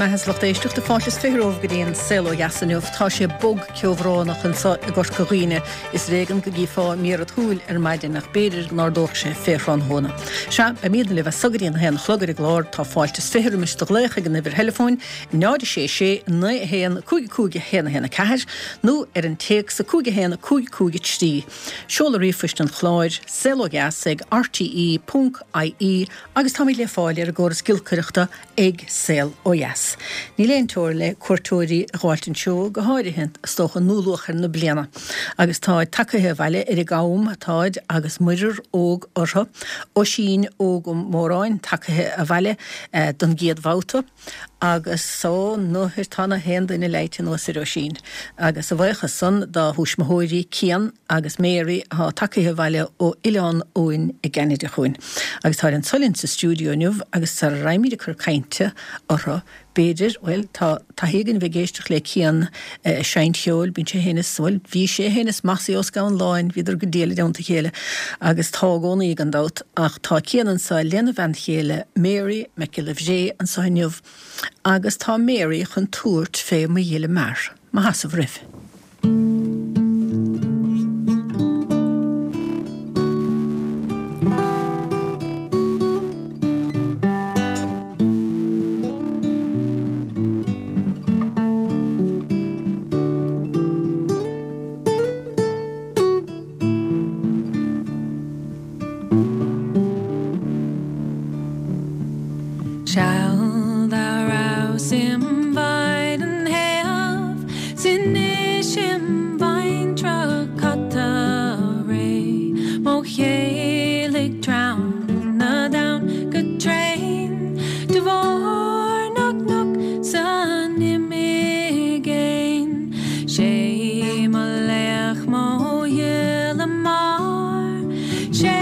bhur mbeatha a lucht éisteachta. Fáilte is 20 romhaibh go dtí an Saol Ó Dheas inniu. Tá sé bog ceobhránach anseo i gCorca Dhuibhne. Is ar éigean go gcífeá méar an tsúil ar maidin ach b'fhéidir go n-ardódh sé fé thráthnóna. Sea, beimídne libh as so go dtí an haon a chlog ar an gclár. Tá fáilte is 20 roimis do ghlaoch ag an uimhir theileafóin 0 6 6 9 1 5 5 1 1 4 nó ar an téacs 5 1 5 5 3. Seoladh ríomhphoist an chláir, saolodheas ag rte ponc ie Agus táimid le fáil ar an gcóras giolcaireachta ag Saol Ó Dheas. Níl aon teora le cuairteoirí a ghabháilt anseo, go háirithe, is dócha, i ndúluachair na bliana. Agus táid tagaithe abhaile ar an gCam, táid, agus muirear óg orthu. Oisín Óg Ó Móráin tagaithe abhaile don gcéad bhabhta. Agus ó nuair tá na haon duine leighte anuas ar Oisín. Agus a bhuíochas san dá thuismitheoirí Cian agus Mary atá tagaithe abhaile ó Oileán Eoin i gCeanada chugainn. Agus táid anso linn sa stiúideo inniu agus sara raghaimid ag cur cainte orthu b'fhéidir, bhuel tá taithí againn a bheith ag éisteacht le Cian ag seinnt cheoil, bíonn sé féin is, bhuel bhí sé féin is Mossie Ó Scanláin, bhíodar go diail i dteannta a chéile agus tá i gcónaí gan dabht. Ach tá Cian anso lena bhean chéile Mary Mac Giolla Bhréith anso inniu agus tá Mary chun tabhairt fé Mo Ghile Mear. Mo sheasamh roimh. Seal dá rabhas im mhaighdean shéimh 's anois im bhaintreach cata réidh mo chéill ag treabhadh na dtonn go tréan de bharr na gcnoc san imigéin 'Sé mo laoch mo ghile mear 'Sé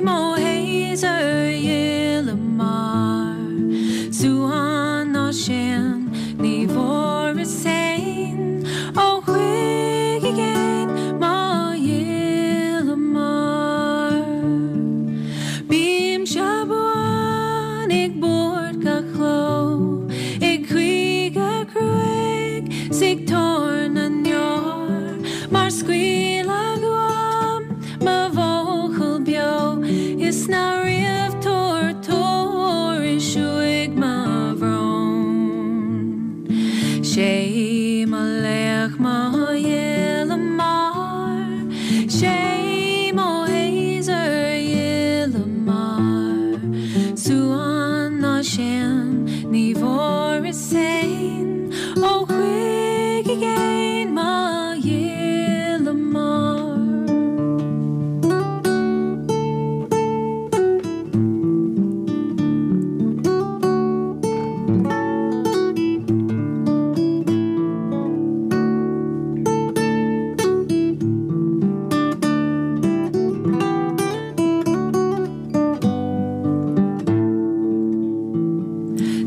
mo shéasúr ghile mear Suan ná séan ní bhfuaireas fhéin Ó chuig i gcéin mo ghile mear Bímse buan ag bord gach cló Ag caoineadh cruaidh 's ag tuar na ndeor Mar scaoileadh uaim mo bhuachaill beo Is ná riamh tabhair tuairisc uaidh mo bhrón 'Sé mo laoch mo ghile mear 'Sé mo shéasúr ghile mear Suan ná séan ní bhfuaireas fhéin Ó chuig i gcéin mo ghile mear.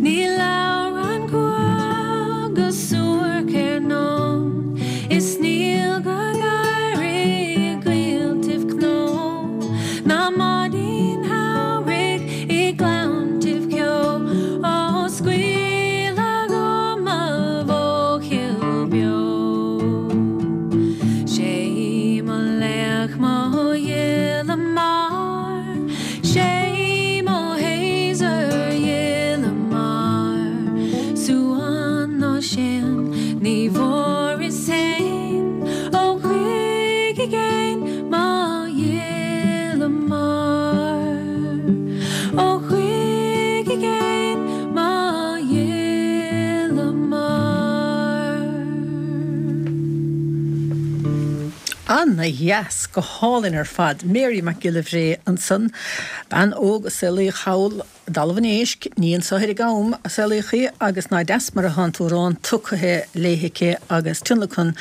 Ní labhrann cuach go suairc ar ndóin Is níl go gáire i gcoilltibh cnó Ná maidin shamhraidh i ngleanntaibh ceo Ó scaoileadh uaim mo bhuachaill beo 'Sé mo laoch mo ghile mear 'Sé mo shéasúr ghile mear Suan ná séan ní bhfuaireas fhéin Ó chuig i gcéin mo ghile mear Ó chuig i gcéin mo ghile mear. Ana dheas, go hálainn ar fad. Mary Mac Giolla Bhréith ansan, bean óg a saolaíodh thall i dTalamh an Éisc, ní anso ar an gCam a saolaíodh í, agus ná deas mar atá an t-amhrán tugtha léi aici agus tionlacan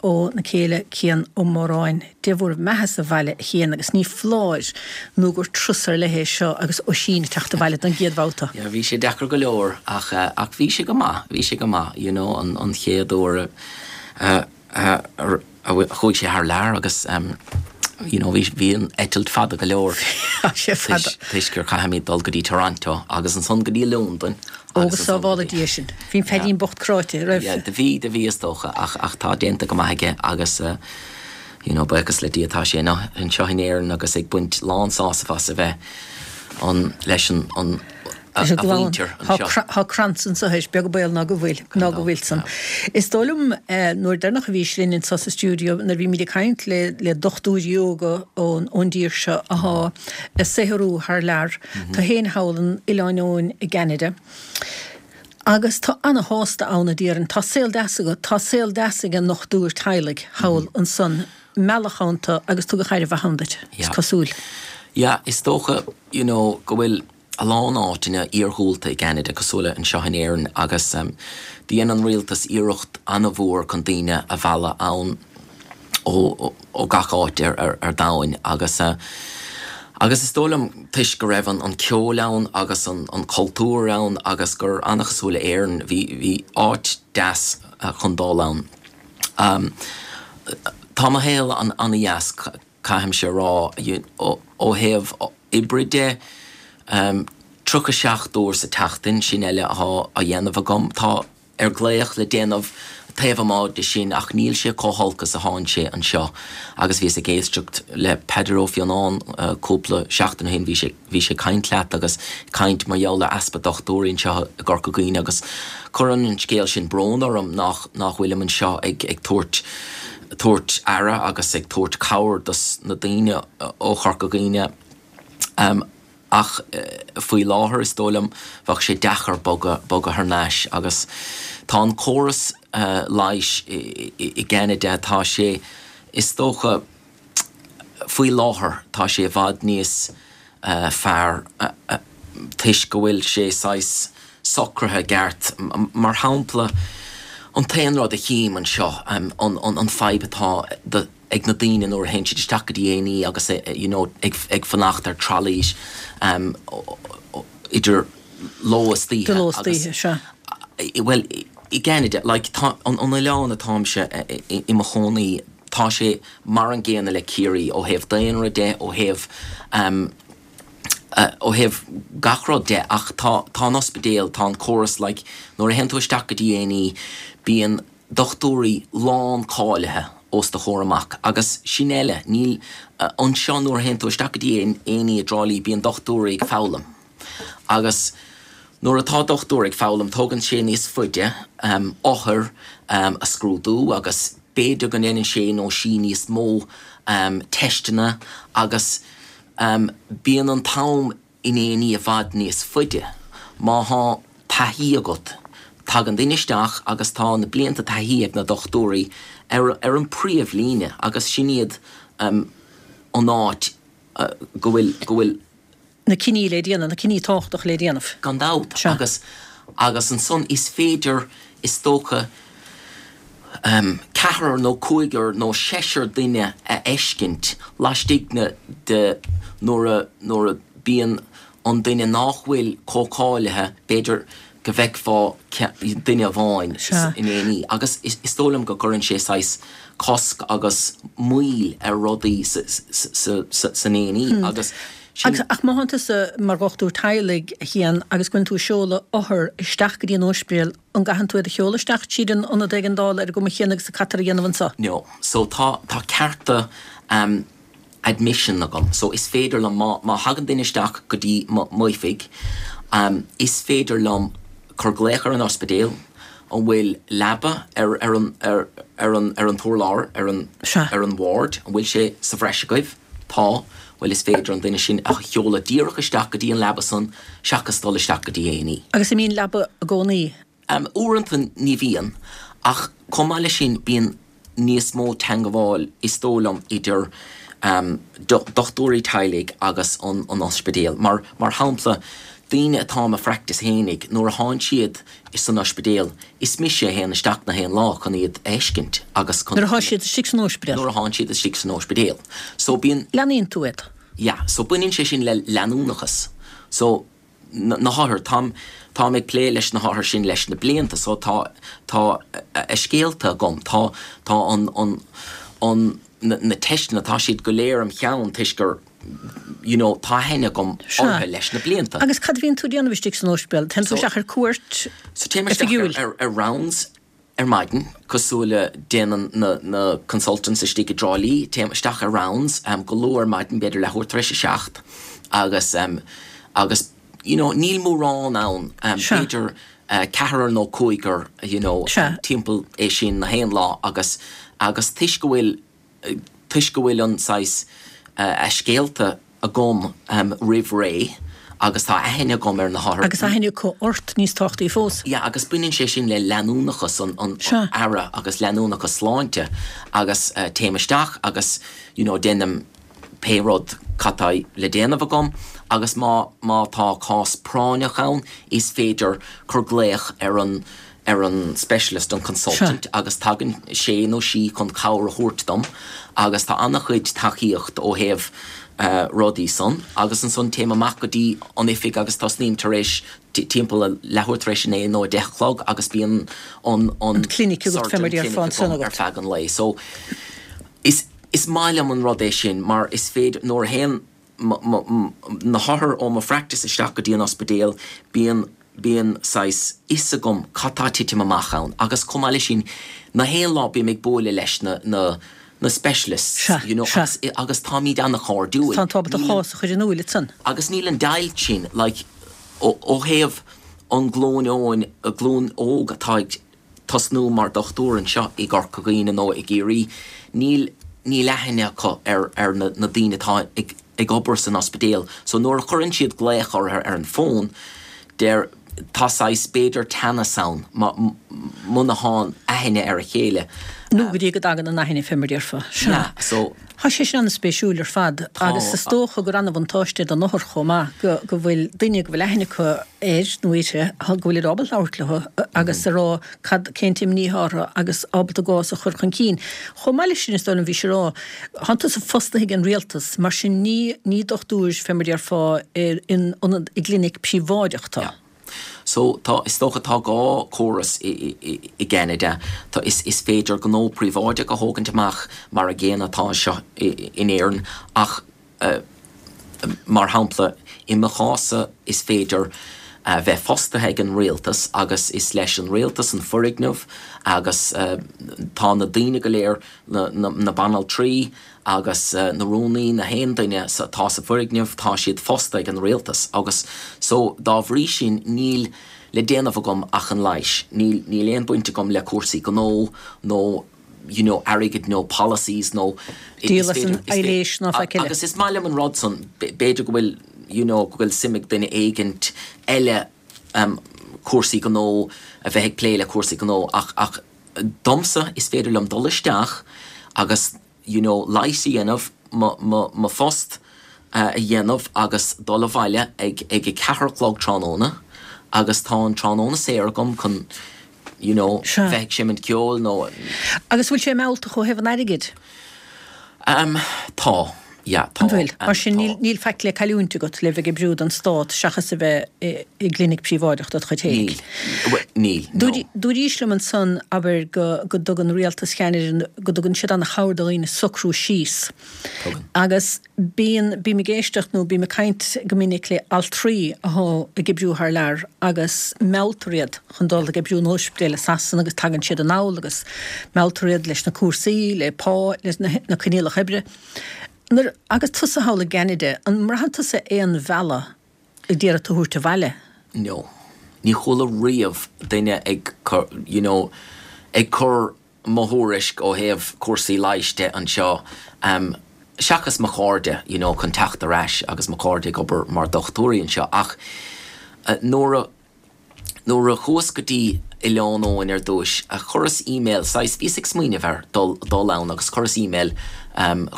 óna céile Cian Ó Móráin. Dé bhur mbeatha sa bhaile a Chiain agus ní foláir nó gur turas ar leith é seo agus Oisín ag teacht abhaile don gcéad bhabhta. Yeah, bhí sé deacair go leor ach ach bhí sé go maith, bhí sé go maith, you know, an chéad uair a a chuaigh sé thar lear agus. You know, bhí, bhí an eitilt fada go leor. Tá sé fada. Toisc gur caithfimid dul go dtí Toronto agus ansan go dtí Londain. Ó go sábhála Dia sinn. Bhí an Feaidín bocht cráite, raibh? Yeah, do bhí, do bhí is dócha, ach, ach tá déanta go maith aige agus eh, you know, buíochas le Dia tá sé anseo in Éirinn agus ag baint lán sásamh as a bheith an, leis an, an, a mhuintir anseo. Tá crannsa anseo is beag baol ná go bhfuil, ná go bhfuil san. Is dóigh liom nuair deireanach a bhís linn anseo sa stiúideo nuair a bhímid ag caint le le dochtúirí óga ón ón dtír seo athá ag saothrú thar lear, tú fhéin thall in Oileán Eoin i gCeanada. Agus tá ana-shásta ann a déarfainn. Tá saol deas agat, tá saol deas ag an ndochtúir teaghlaigh thall ansan. Meallach ann tu agus tugadh aire mhaith ann duit, is cosúil. Yeah, is dócha, you know, go bhfuil a lán áiteanna iarghúlta i gCeanada, cosúil le anseo in Éirinn, agus dhein an rialtas iarracht an-mhór chun daoine a mhealladh ann ó gach áit ar domhain agus agus is dóigh liom toisc go raibh an ceol ann agus an cultúr ann agus gur an-chosúil le Éirinn, bhí bhí áit deas chun dul ann. Tá mo shaol an-dheas, caithfimse a rá, ó thaobh oibre de, 37 uair sa tseachtain, sin eile athá á dhéanamh agam. Tá ar glaoch le déanamh taobh amuigh de sin ach níl sé chomh holc is athánn sé anseo. Agus bhíos ag éisteacht le Peadar Ó Fionnáin cúpla seachtain ó shin, bhí sé, bhí sé ag caint leat agus ag caint mar gheall ar easpa dochtúirí anseo i gCorca Dhuibhne agus cuireann an scéal sin brón orm nach, nach bhfuilim anseo ag, ag tabhairt, tabhairt aire agus ag tabhairt cabhair dos na daoine ó Chorca Dhuibhne. Ach faoi láthair, is dóigh liom, bheadh sé deacair bogadh, bogadh thar n-ais agus tá an córas leighis i gCeanada, tá sé, is dócha, faoi láthair, tá sé i bhfad níos fearr toisc go bhfuil sé saghas socraithe i gceart. Mar shampla, an t-aon rud a chím anseo, an fadhb atá do, ag na daoine nuair a théann siad isteach go dtí A&E agus you know ag ag fanacht ar trolleys idir ló is oíche Idir ló is oíche, sea. Bhuel, i gCeanada, like tá an an oileán atáimse i mo chónaí, tá sé mar an gcéanna le Ciarraí ó thaobh daonra de, ó thaobh ó thaobh gach rud de ach tá tá an ospidéal, tá an córas like nuair a théann tú isteach go dtí A&E bíonn dochtúirí lán cáilithe os do chomhair amach agus sin eile, níl, anseo nuair a théann tú isteach go dtí A&E i dTrá Lí bíonn dochtúirí ag foghlaim agus nuair atá dochtúir ag foghlaim tógann sé níos faide othair a scrúdú agus b'fhéidir go ndéanann sé nó sí níos mó teisteanna agus bíonn an t-am in A&E i bhfad níos faide. Má thá taithí agat, tagann duine isteach agus tá na blianta taithí ag na dochtúirí ar ar an príomhlíne agus sin iad an áit go bhfuil, go bhfuil. na cinní le déanamh, na cinní tábhachtacha le déanamh. Gan dabht. Agus, agus ansan is féidir, is dócha, ceathrar nó cúigear nó seisear duine a fheiscint laistigh de nuair a nuair a bíonn an duine nách bhfuil chomh cáilithe, b'fhéidir go bhfeicfeá duine amháin in A&E agus is dóigh liom go gcuireann sé saghas cosc agus moill ar rudaí san A&E agus sin. Ach má thánn tusa mar dhochtúir teaghlaigh, a Chian, agus go bhfuileann tú ag seoladh othar isteach go dtí an ospidéal, An gcaitheann tú iad a sheoladh isteach tríd an ionad éigeandála ar an gcuma chéanna agus a caitear a dhéanamh anseo? No. So tá, tá cearta ehm admission agam. So is féidir liom, má, má thagann duine isteach go dtí mo, m'oifig, ehm is féidir liom cur glaoch ar an ospidéal, an bhfuil leaba ar, ar an, ar, ar an, ar an t-urlár, ar an, Sea. ar an ward, an bhfuil sé sa bhreis agaibh? Tá. Bhuel is féidir an duine sin a sheoladh díreach isteach go dtí an leaba san seachas dul isteach go dtí A&E. Agus an mbíonn leaba i gcónaí? Uaireanta ní bhíonn, ach chomh maith leis sin bíonn níos mó teangabháil is dóigh liom idir dochtúirí teaghlaigh agus an ospidéal. Mar mar shampla, daoine atá i mo phractice fhéinig, nuair a thánn siad san ospidéal, Is mise a théann isteach na haon lá chun iad a fheiscint agus chun. Nuair atá siad istigh san óispidéal. Nuair atánn siad istigh san óispidéal. So bíonn. Leanaíonn tú iad. Yeah. So baineann sé sin le leanúnachas. So na hothair, táim, táim ag plé leis na hothair sin leis na blianta so tá, tá a scéalta agam, tá, tá an, an, an. na na teisteanna, tá siad go léir im cheann toisc gur you know tá aithne agam orthu leis na blianta. Agus cad a bhíonn tú ag déanamh istigh san ospidéal? Téann tú isteach ar cuairt So téim isteach oifigiúil? ar ar rounds ar maidin, cosúil le déanann na na consultants istigh i dTrá Lí, téim isteach ar rounds go luath ar maidin, b'fhéidir leathuair tar éis a seacht agus agus you know níl mórán ann, b'fhéidir ceathrar nó cúigear you know timpeall é sin na haon lá agus agus toisc go bhfuil toisc go bhfuil an saghas a scéalta agam roimh ré agus tá aithne agam ar na hothair. Agus aithne acu ort, níos tábhachtaí fós. Yeah, agus baineann sé sin le leanúnachas an an aire agus leanúnachas sláinte agus téim isteach agus you know déanaim pé rud cad tá le déanamh agam agus má má tá cás práinneach ann is féidir cur glaoch ar an ar an specialist, an consultant, agus tagann sé nó sí chun cabhair a thabhairt dom agus tá an-chuid tacaíocht ó thaobh rudaí san agus ansan téim amach go dtí an oifig agus tosnaím tar éis timpeall a leathuair tar éis a naoi nó a deich a chlog agus bíonn an an clinic agat fé mar a déarfá ansan agat. ar feadh an lae. So is is maith liom an rud é sin mar is féidir nuair a théann na hothair ó mo phractice isteach go dtí an ospidéal bíonn bíonn saghas fhios agam cad tá ag titim amach ann agus chomh maith leis sin na haon lá bím ag bualadh leis na na na specialists Sea, you know sea. agus agus táimid an-chairdiúil. Tá tú ábalta do Níl chás a chur in iúil ansan. agus níl an deighilt sin like ó ó thaobh an glúin óin glúin óg atá ag tosnú mar dochtúir anseo i gCorca Dhuibhne nó i gCiarraí níl níl aithne acu ar ar na na daoine atá ag ag obair san ospidéal so nuair a chuireann siad glaoch orthu ar an bhfón deir tá saghas b'fhéidir teannas ann muna thánn aithne ar a chéile. Nó go dtí go dtagann an aithne fé mar a déarfá. Sea. Yeah so. Tá sé sin an-spéisiúil ar fad agus is dócha gur an-bhuntáiste don othar chomh maith go go bhfuil duine go bhfuil aithne acu air nó uirthi go bhfuil siad ábalta labhairt leo agus a rá cad cén t-imní atá orthu agus ábalta a gcás a chur chun cinn. Chomh maith leis sin is dóigh liom bhís ag rá Thánn tusa fostaithe ag an rialtas, mar sin ní ní dochtúir, fé mar déarfá, in ionad, i gclinic príobháideach tú. Yeah. So tá, is dócha tá dhá córas i i i gCeanada. Tá, is is féidir gnó príobháideach a thógaint amach mar a gcéanna atá anseo i in Éirinn ach eh mar shampla i mo chás-sa is féidir a bheith fostaithe ag an rialtas agus is leis an rialtas an foirgneamh agus eh tá na daoine go léir na banaltraí agus na rúnaí, na haon duine atá sa bhfoirgneamh, tá siad fostaithe ag an rialtas agus so dá bhrí sin níl le déanamh agam ach an leighis. Níl, níl aon baint agam le cúrsaí gnó nó you know airgead nó policies nó Díol as an aibhléis ná faic eile. Agus is maith liom an rud san, b'fhéidir go bhfuil you know go bhfuil suim ag duine éigint eile cúrsaí gnó, a bheith ag plé le cúrsaí gnó ach, ach domsa is féidir liom dul isteach agus you know leigheas a dhéanamh, mo, mo, mo phost a dhéanamh agus dul abhaile ag, ag a ceathair a chlog tráthnóna agus tá an tráthnóna saor agam chun you know Sea. bheith ag seimint ceoil nó. Agus bhfuil sé mealltach ó thaobh an airgid? Em, tá. Yeah, tá. An bhfuil? Mar sin Tá. níl, níl faic le cailliúint agat le bheith ag oibriú don stát seachas a bheith i, i gclinic príobháideach dod chuid féinig. Níl. Bhuel, níl, no. Dúraís liom ansan, abair, go, go dtugann rialtas Cheanada, go dtugann siad an-chabhair do dhaoine socrú síos. Tugann. Agus bíonn, bím ag éisteacht nó bím ag caint go minic le altraí athá ag oibriú thar lear agus mealltar iad chun dul ag oibriú in ospidéal i Sasana agus tagann siad anall agus mealltar iad leis na cúrsaí, le pá, leis na, na coinníollacha oibre. Nuair, agus tusa thall i gCeanada, an mbraitheann tusa aon mhealladh ag iarraidh tú a thabhairt abhaile? No. Ní chuala riamh duine ag cur, you know, ag cur mo thuairisc ó thaobh cúrsaí leighis de anseo, em, seachas mo chairde, you know, chun teacht ar ais agus mo chairde ag obair mar dhochtúirí anseo ach eh, nuair a, Nuair a chuas go dtí Oileán Eoin ar dtúis, chuireas email, saghas, bhíos ag smaoineamh ar dul, dul ann agus chuireas email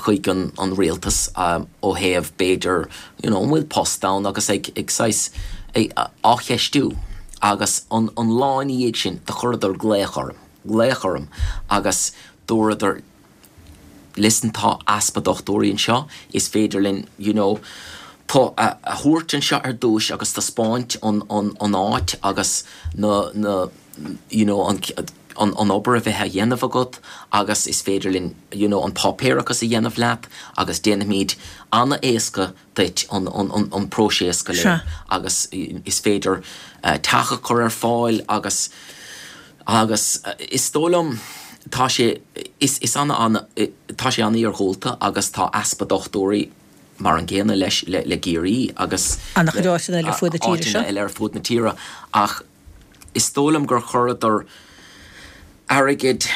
chuig an, an rialtas ó thaobh b'fhéidir, you know, an bhfuil post ann agus ag, ag saghas, ag, á cheistiú agus an, an lá ina dhiaidh sin do chuireadar glaoch orm, glaoch orm agus dúradar, listen tá easpa dochtúirí anseo, is féidir linn you know tú a thabhairt anseo ar dtúis agus taispeáint an an an áit agus na na you know an. an an obair a bheith á dhéanamh agat agus is féidir linn you know an páipéarachas a dhéanamh leat agus déanfaimid an-éasca duit an an an próiseas go léir agus is féidir teach a chur ar fáil agus agus is dóigh liom tá sé is is ana ana tá sé an-iargúlta agus tá easpa dochtúirí mar an gcéanna leis le le Ciarraí agus An-chuid áiteanna eile ar fuaid na tíre seo. áiteanna eile ar fuaid na tíre ach is dóigh liom gur chuireadar airgead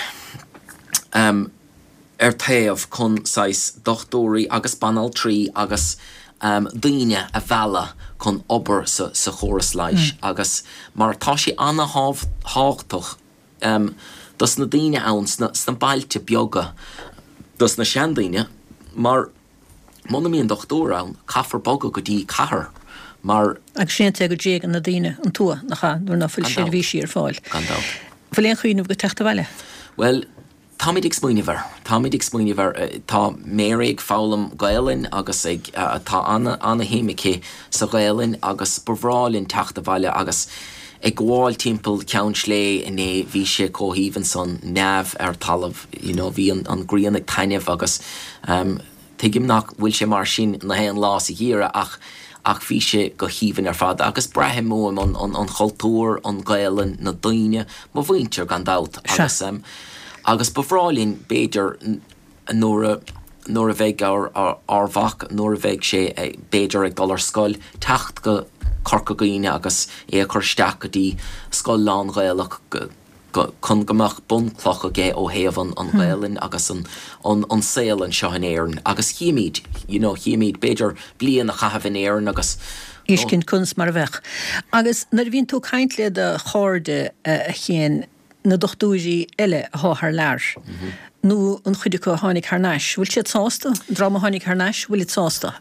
ar taobh chun saghas dochtúirí agus banaltraí agus daoine a mhealladh chun obair sa chóras leighis agus mar tá sé an-thábhachtach dos na daoine ann sna bailte beaga, dos na seandaoine mar Muna mbíonn dochtúir ann, caithfear bogadh go dtí cathair mar. Agus sin é an té go dtréigeann na daoine an tuath, nach ea, nuair ná fuil seirbhísí ar fáil. Gan dabht. Bhfuil aon chuimhneamh agat teacht abhaile? Bhuel, táimid ag smaoineamh air. Táimid ag smaoineamh air. Tá Mary ag foghlaim Gaelainn agus ag, tá ana-shuim aici sa Ghaelainn agus ba bhreá linn teacht abhaile agus ag gabháil timpeall Cheann Slé inné bhí sé chomh haoibhinn san, neamh ar talamh, you know, bhí an ghrian ag taitneamh agus tuigim nach bhfuil sé mar sin na haon lá sa gheimhreadh ach ach bhí sé go haoibhinn ar fad agus braithim uaim an an an chultúr, an Ghaelainn, na daoine, mo mhuintir gan dabht agus agus ba bhreá linn b'fhéidir nuair a nuair a bheidh ár ár mhac, nuair a bheidh sé b'fhéidir ag dul ar scoil, teacht go Corca Dhuibhne agus é a chur isteach go dtí scoil lán-Ghaelach go chun go mbeadh bunchloch aige ó thaobh an an Ghaelainn agus an an an saol anseo in Éirinn agus chífimid, you know, chífimid b'fhéidir bliain a chaitheamh in Éirinn agus Fheiscint conas mar a bheadh. Agus nuair a bhíonn tú ag caint le do chairde a Chian, na dochtúirí eile athá thar lear, nó an chuid acu a tháinig thar n-ais, bhfuil siad sásta? An dream a tháinig thar n-ais, bhfuilid sásta?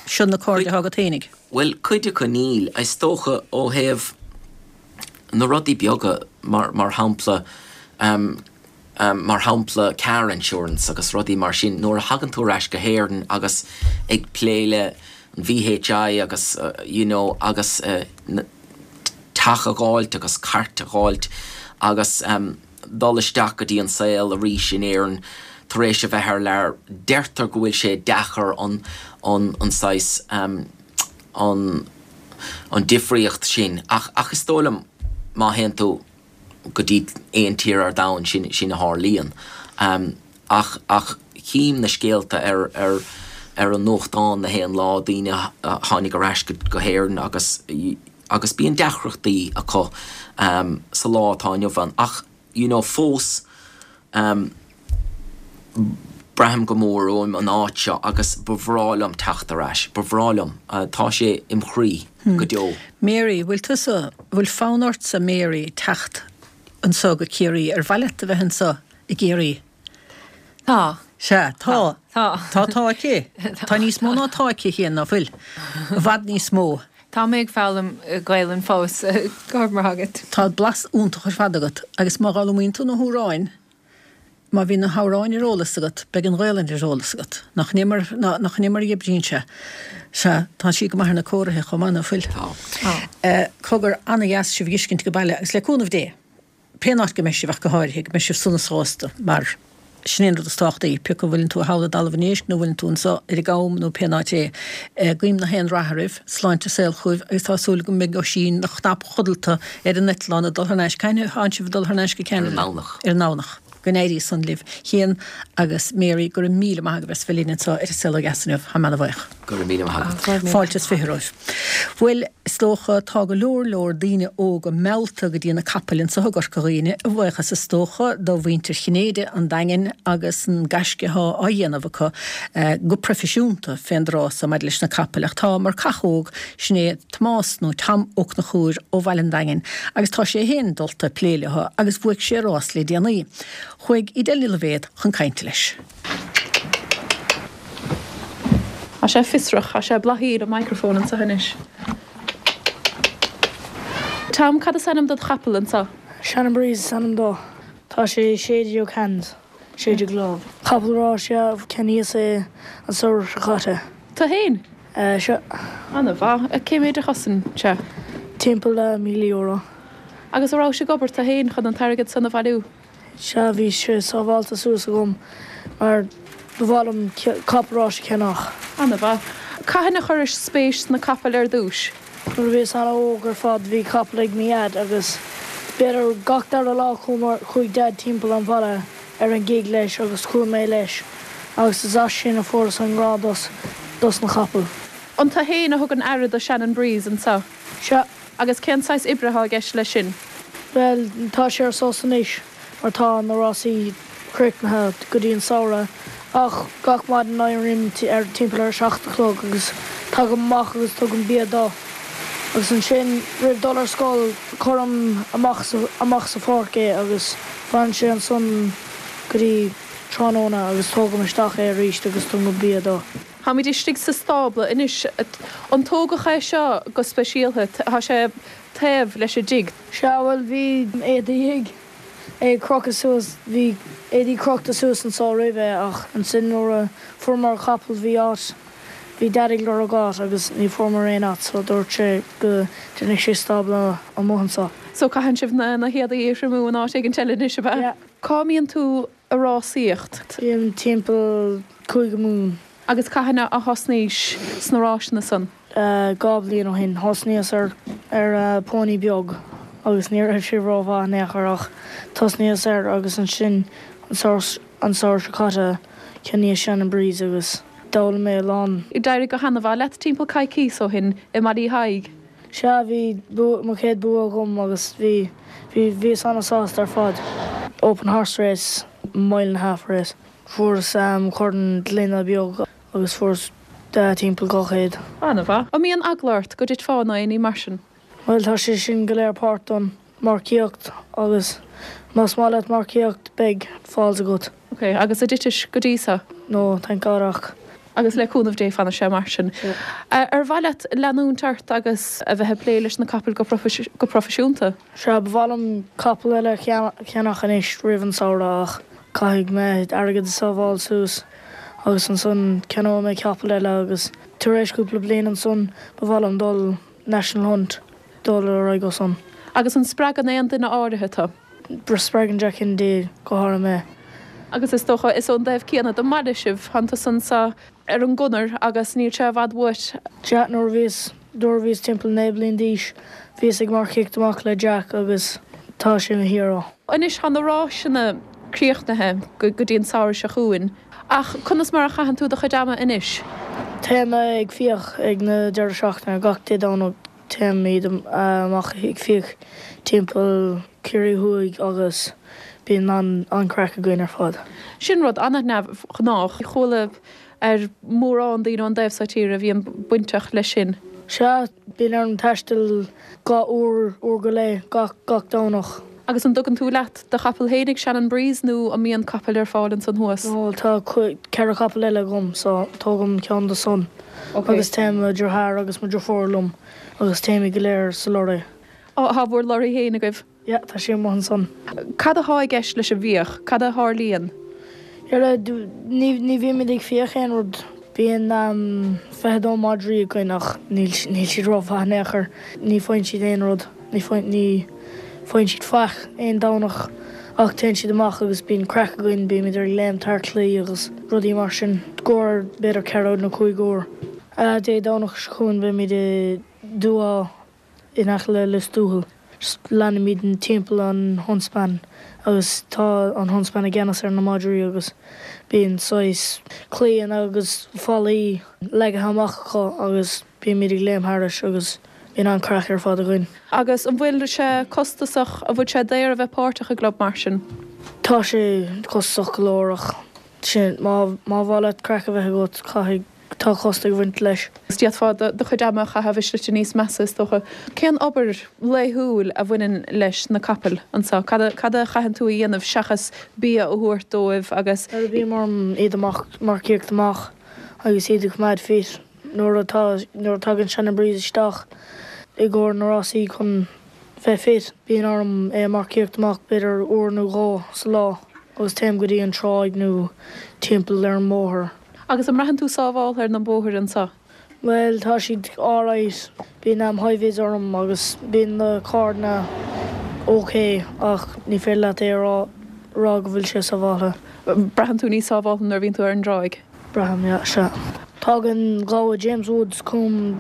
Seo na cairde athá agat fhéinig. Bhuel, cuid acu níl. Is dócha ó thaobh na rudaí beaga, mar, mar shampla, mar shampla car insurance agus rudaí mar sin, nuair a thagann tú ar ais go hÉirinn agus ag plé le an VHI agus you know agus teach a dh'fháilt agus cairt a dh'fháilt agus dul isteach go dtí an saol arís in Éirinn tar éis a bheith thar lear, deirtear go bhfuil sé deacair an, an, an saghas, an, an difríocht sin ach, ach is dóigh liom má théann tú go dtí aon tír ar domhan sin, sin a tharlaíonn. Ach, ach chím na scéalta ar, ar, ar an nuachtán na haon lá, daoine a tháinig ar ais go, go hÉirinn agus, agus bíonn deacrachtaí acu sa lá atá inniu ann ach you know fós braithim go mór uaim an áit seo agus ba bhreá liom teacht ar ais, ba bhreá liom, tá sé im chroí go deo. Mary, bhfuil tusa, bhfuil fonn ortsa Mary teacht anso go Ciarraí, ar mhaith leat a bheith anso i gCiarraí? Tá. Sea, tá. Tá. Tá tá aici. Tá níos mó ná tá aici féin, ná fuil? I bhfad níos mó. Tá mé ag foghlaim Gaelainn fós, go raibh maith agat. Tá blas iontach ar fad agat agus má dh'fhoghlaimíonn tú na hamhráin, má bhíonn na hamhráin ar eolas agat, beidh an Ghaelainn ar eolas agat. Nach in é mar, nach in é mar a oibríonn sé? Sea, tá sí go maith ar na cóirithe chomh maith, ná fuil? Tá. Cogar, ana-dheas sibh a dh'fheiscint ag baile agus le cúnamh Dé! pén áit go mbeidh sibh ach go háirithe, go mbeidh sibh sona sásta, mar sin é an rud is tábhachtaí, pé acu bhfuileann tú thall i dTalamh an Éisc nó bhfuileann tú anso ar an gCam nó pén áit é. Guím na haon rath oraibh, sláinte is saol chugaibh agus tá súil agam go mbeidh Oisín ina chnap codlata ar an eitleán ag dul thar n-ais. Cathain atánn sibh ag dul thar n-ais go Ceanada? Ar an nDomhnach. Ar an nDomhnach. Go n-éirí san libh. Cian agus Mary, go raibh míle maith agaibh as bheith linn anseo ar An Saol Ó Dheas inniu. Táim ana-bhuíoch. Go raibh míle maith agat. Fáilte is 20 romhaibh. Bhuel, is dócha, tá go leor leor daoine óga meallta go dtí na capaill anseo i gCorca Dhuibhne, a bhuíochas is dócha do mhuintir Chinnéide, an Daingin agus an gaisce athá á dhéanamh acu go proifisiúnta fén dtráth so maidir leis na capaill. Ach tá marcach óg, sin é Tomás nó Tom Ó Conchúir ó Bhaile an Daingin agus tá sé féin dulta ag plé leo agus bhuaigh sé rás le déanaí. Chuaigh Edel Ní Loibhéad chun cainte leis. Tá sé fiosrach, tá sé bláthaíl an microphone anseo anois. Tom, cad is ainm dod chapall anseo? Shannon Breeze is ainm dó. Tá sé 16 hands. 16 lámh. Capall ráis ea, cheannaíos é an samhradh seo caite. Tú fhéin? Sea. Ana mhaith. Cé méid a chosain sé? Timpeall le €1,000. Agus an rabhais ag obair tú féin chun an t-airgead san a bhailiú? Sea, bhí sé sábhálta suas agam mar ba mhaith liom capall ráis a cheannach. Ana-mhaith. Cathain a chuiris spéis sna capaill ar dtúis? Nuair a bhíos ana-óg ar fad bhí capall ag mo Dhaid agus b'fhéidir gach dara lá chuaigh Daid timpeall an bhaile ar an gig leis agus chuaigh mé leis agus is as sin a fuaireas an grá dos dos na capaill. An tú féin a thugann aire do Shannon Breeze anseo? Sea. Agus cén saghas oibre atá i gceist leis sin? Bhuel, tá sé ar sos anois mar tá na rásaí críochnaithe go dtí an samhradh ach gach maidin éirím ar timpeall ar a 7 a chlog agus tagaim amach agus tugaim bia dó agus ansin roimh dul ar scoil cuirim amach amach sa pháirc é agus fanann sé ansan go dtí tráthnóna agus tógaim isteach é arís agus tugaim bia dó. Táimid istigh sa stábla anois. An tógadh é seo go speisialtha? Tá sé taobh leis an dtigh. Sea, bhuel, bhí éadaí ag, ag crochadh suas, bhí éadaí crochta suas anso roimhe ach ansin nuair a fuaireamar an capall bhí áit, bhí Dad ag lorg áit agus ní fuaireamar aon áit so dúirt sé go ndéanfadh sé stábla amuigh anso. So caitheann sibh na héadaí a thriomú in áit éigin eile anois, ab ea? Yeah. Cá mbíonn tú ag rásaíocht? Bím timpeall Cúige Mumhan. Agus cathain a thosnaís sna ráiseanna san? 2 bhliain ó shin. Thosnaíos ar ar pony beag agus ní raibh sé rómhaith in aon chor ach thosnaíos air agus ansin an an samhradh seo caite cheannaíos Shannon Breeze agus d'fhoghlaim mé a lán. D'éirigh go hana-mhaith leat timpeall coicíos ó shin i mBaile Uí Thaidhg. Sea, bhí mo chéad bua agam agus bhí, bhí, bhíos an-sásta ar fad. Open horse race, mile and a half race. Fuaireas corn gloine beag agus fuaireas timpeall 200. An-mhaith. An mbíonn eagla ort go dtitfeá nó aon ní mar sin? Bhuel, tá sé sin go léir páirt don marcaíocht agus más maith leat marcaíocht beidh falls agat. Ok, agus an dtitis go dtí seo? No, thank God ach. Agus le cúnamh Dé fanfaidh sé mar sin. Ar mhaith leat leanúint ort agus a bheith ag plé leis na capaill go proifisiúnta? Sea, ba mhaith liom capall eile a cheannach anois roimh an samhradh ach caithfidh mé airgead a sábháil suas agus ansan ceannóidh mé capall eile agus tar éis cúpla bliain ansan ba mhaith liom dul National Hunt, dul ar aghaidh ó san. Agus an spreagann aon duine áirithe tú? Spreagann Jack Kennedy go háirithe mé. Agus is dócha, is ón dtaobh céanna den mbaile sibh, tánn tusa anso ar an gconair agus níl sé i bhfad uait. Sea, nuair a bhíos, nuair a bhíos timpeall 9 bliain d'aois, bhíos ag marcaíocht amach le Jack agus tá sé mo hero. Anois tá na ráiseanna críochnaithe go dtí an samhradh seo chugainn, ach conas mar a chaitheann tú do chuid ama anois? Téim ag fiach ag na deireadh seachtaine, gach Dé Domhnaigh. Téimid amach ag fiach timpeall Ciarraí Thuaidh agus bíonn an-chraic againn ar fad. Sin rud an-neamhghnách. Chuala ar mórán daoine ón dtaobh seo tíre a bhíonn bainteach leis sin. Sea, bíonn orm taisteal 2 uair, uair go leith, gach, gach Domhnach. Agus an dtugann tú leat do chapall fhéinig, Shannon Breeze, nó an mbíonn capaill ar fáil ansan thuas? No, tá 4 chapall eile agam, so tógaim ceann de san agus téann mo dheartháir agus mo dheirfiúr liom agus téimid go léir sa lorry. Á, tá bhur lorry fhéin agaibh? Yeah, tá sé amuigh ansan. Cad athá i gceist leis an bhfiach? Cad a tharlaíonn? Ar, ní, ní bhímid ag fiach aon rud. Bíonn 22 madraí againn ach níl, níl siad rómhaith in aon chor. Ní faigheann siad aon rud. Ní faigheann, ní faigheann siad faic aon Domhnach ach téann siad amach agus bíonn craic againn, bímid ag léimt thar claí agus rudaí mar sin. Gcomhair b'fhéidir 4 nó 5 uair. Dé Domhnach seo chugainn beimid i Dooagh in aice le Lios Tuathail. Leanaimid timpeall an huntsman agus tá an huntsman i gceannas ar na madraí agus bíonn saghas claíonna agus fallaí leagtha amach acu agus bímid ag léim thairis agus bíonn an-craic ar fad againn. Agus an bhfuil sé costasach, an bhfuil sé daor a bheith páirteach i gclub mar sin? Tá sé costasach go leor ach sin, má mhaith leat craic a bheith agat caithfidh Tá costas ag bhaint leis. D'fhéadfá do chuid ama a chaitheamh i slite níos measa, is dócha. Cén obair laethúil a bhaineann leis na capaill anseo? Cad a cad a chaitheann tú a dhéanamh seachas bia a thabhairt dóibh agus. Nuair a bím orm iad a marcaíocht amach agus iad a choimeád fit nuair atá nuair a tagann Shannon Breeze isteach i gcomhair na rásaí chun bheith fit bíonn orm é a marcaíocht amach b'fhéidir uair nó dhó sa lá agus téim go dtí an tráigh nó timpeall ar an mbóthar. Agus an mbraitheann tú sábháltha ar na bóithre anseo? Bhuel, tá siad alright. Bíonn am high vis orm agus bíonn na carranna. ok ach ní féidir leat é a rá rá go bhfuil sé sábháltha. Braitheann tú níos sábháltha nuair a bhíonn tú ar an dtráigh? Braithim, yeah, sea. Tagann gabha James Woods chugam,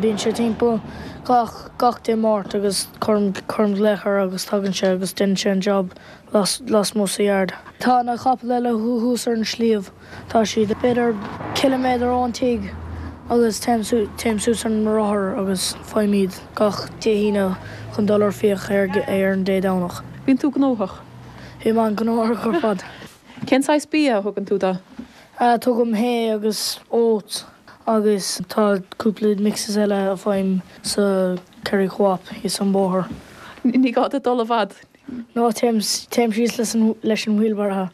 bíonn sé timpeall gach gach Dé Máirt agus cuirim cuirim glaoch air agus tagann sé agus déanann sé an job las lasmuigh sa yard. Tá na capaill eile thuas ar an sliabh, tá siad b'fhéidir ciliméadar ón tigh agus téim téim suas ar mo rothar agus faighim iad gach Dé hAoine chun dul ar fiach ar ar an Dé Domhnach. Bíonn tú gnóthach. Bím an-ghnóthach ar fad. Cén saghas bia a thugann tú dó? Tugaim hay agus oats agus tá cúpla mixes eile a faighim sa Kerry Co-op thíos an bóthar. Ní gá duit dul i bhfad. No, téim téim síos leis an leis an wheelbarrow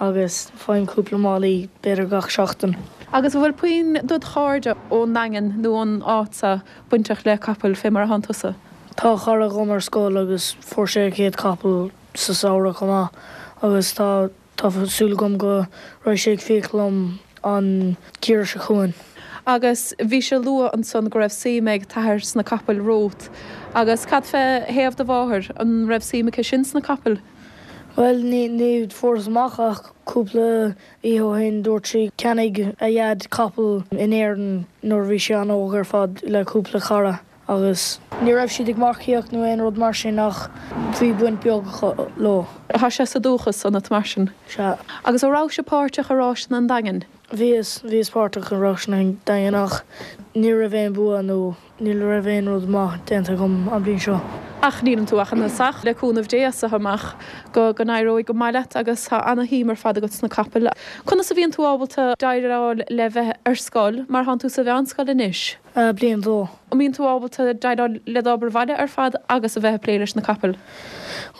agus faighim cúpla málaí b'fhéidir gach seachtain. Agus an bhfuil puinn dod chairde ón nDaingean nó ón áit so bainteach le capaill fé mar atánn tusa? Tá cara agam ar scoil agus fuair sé a chéad capall sa samhradh chomh maith agus tá tá súil agam go raghaidh sé ag fiach liom an geimhreadh seo chugainn. Agus bhí sé ag lua ansan go raibh suim ag t'athair sna capaill romhat. Agus cad fé thaobh do mháthar, an raibh suim aici sin sna capaill? Bhuel, ní ní fuaireas amach ach cúpla oíche ó shin dúirt sí cheannaigh a dhaid capall in Éirinn nuair a bhí sé an-óg ar fad le cúpla cara. Agus ní raibh siad ag marcaíocht nó aon rud mar sin ach bhí baint beag acu leo. Tá sé sa dúchas ionat mar sin. Sea. Agus an rabhais páirteach i ráiseanna an Daingin? Bhíos, bhíos páirteach i ráiseanna an Daingin ach ní raibh aon bua nó ní raibh aon rud maith déanta agam an bhliain seo. Ach níleann tú ach ina thosach, le cúnamh Dé as seo amach go go n-éireoidh go maith leat agus tá ana-shuim ar fad agat sna capaill. Conas a bhíonn tú ábalta déileáil le bheith ar scoil mar thánn tú sa mheánscoil anois? Bliain a dó. An mbíonn tú ábalta déileáil le d'obair bhaile ar fad agus a bheith ag plé leis na capaill?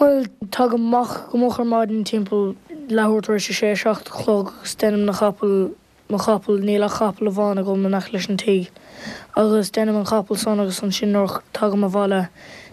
Bhuel, tagaim amach go moch ar maidin timpeall leathuair tar éis a sé, 7 a chlog agus déanaim na capaill, mo chapall, níl ach capall amháin agam in aice leis an tigh, agus déanaim an capall san agus ansin nuair a tagaim abhaile